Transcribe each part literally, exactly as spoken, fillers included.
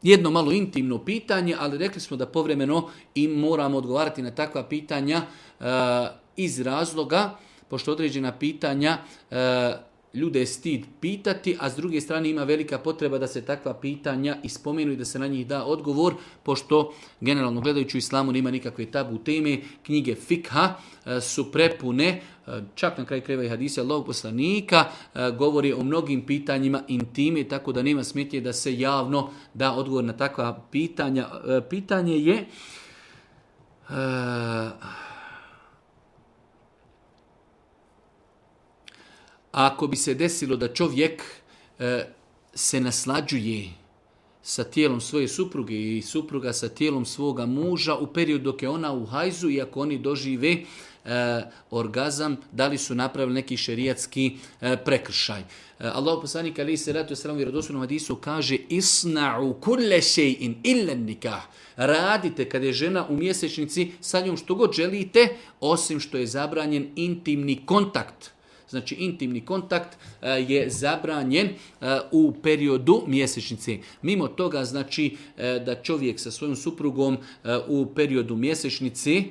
jedno malo intimno pitanje, ali rekli smo da povremeno i moramo odgovarati na takva pitanja uh, iz razloga, pošto određena pitanja uh, ljude je stid pitati, a s druge strane ima velika potreba da se takva pitanja ispomenu i da se na njih da odgovor, pošto generalno gledajući u islamu nema nikakve tabu teme, knjige fikha su prepune, čak na kraju krajeva i hadisi Allahovog poslanika, govori o mnogim pitanjima intime, tako da nema smetnje da se javno da odgovor na takva pitanja. Pitanje je... Ako bi se desilo da čovjek e, se naslađuje sa tijelom svoje supruge i supruga sa tijelom svoga muža u periodu dok je ona u hajzu i ako oni dožive e, orgazam, da li su napravili neki šerijatski e, prekršaj. E, Allahov poslanik alejhi selatu vesselam u vjerodostojnom hadisu kaže: "Isna'u kulle shay'in illa nikah." Radite kad je žena u mjesečnici sa njom što god želite, osim što je zabranjen intimni kontakt. Znači, intimni kontakt uh, je zabranjen uh, u periodu mjesečnice. Mimo toga, znači, uh, da čovjek sa svojom suprugom uh, u periodu mjesečnice,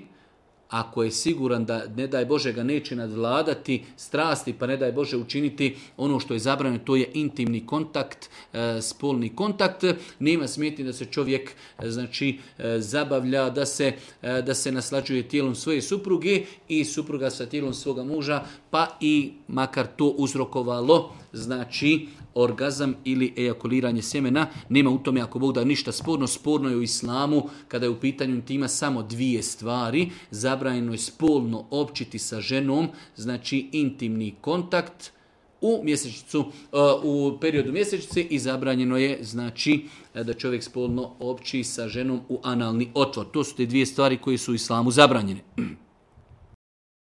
ako je siguran da, ne daj Bože, ga neće nadvladati strasti, pa ne daj Bože učiniti ono što je zabranjeno, to je intimni kontakt, e, spolni kontakt. Nema smetnje da se čovjek e, znači, e, zabavlja, da se, e, da se naslađuje tijelom svoje supruge i supruga sa tijelom svoga muža, pa i makar to uzrokovalo, znači, orgazam ili ejakuliranje sjemena. Nema u tome, ako Bog da, ništa sporno. Sporno je u islamu kada je u pitanju intima samo dvije stvari. Zabranjeno je spolno općiti sa ženom, znači intimni kontakt u mjesečnicu, u periodu mjesečnice, i zabranjeno je, znači, da čovjek spolno opći sa ženom u analni otvor. To su te dvije stvari koje su u islamu zabranjene.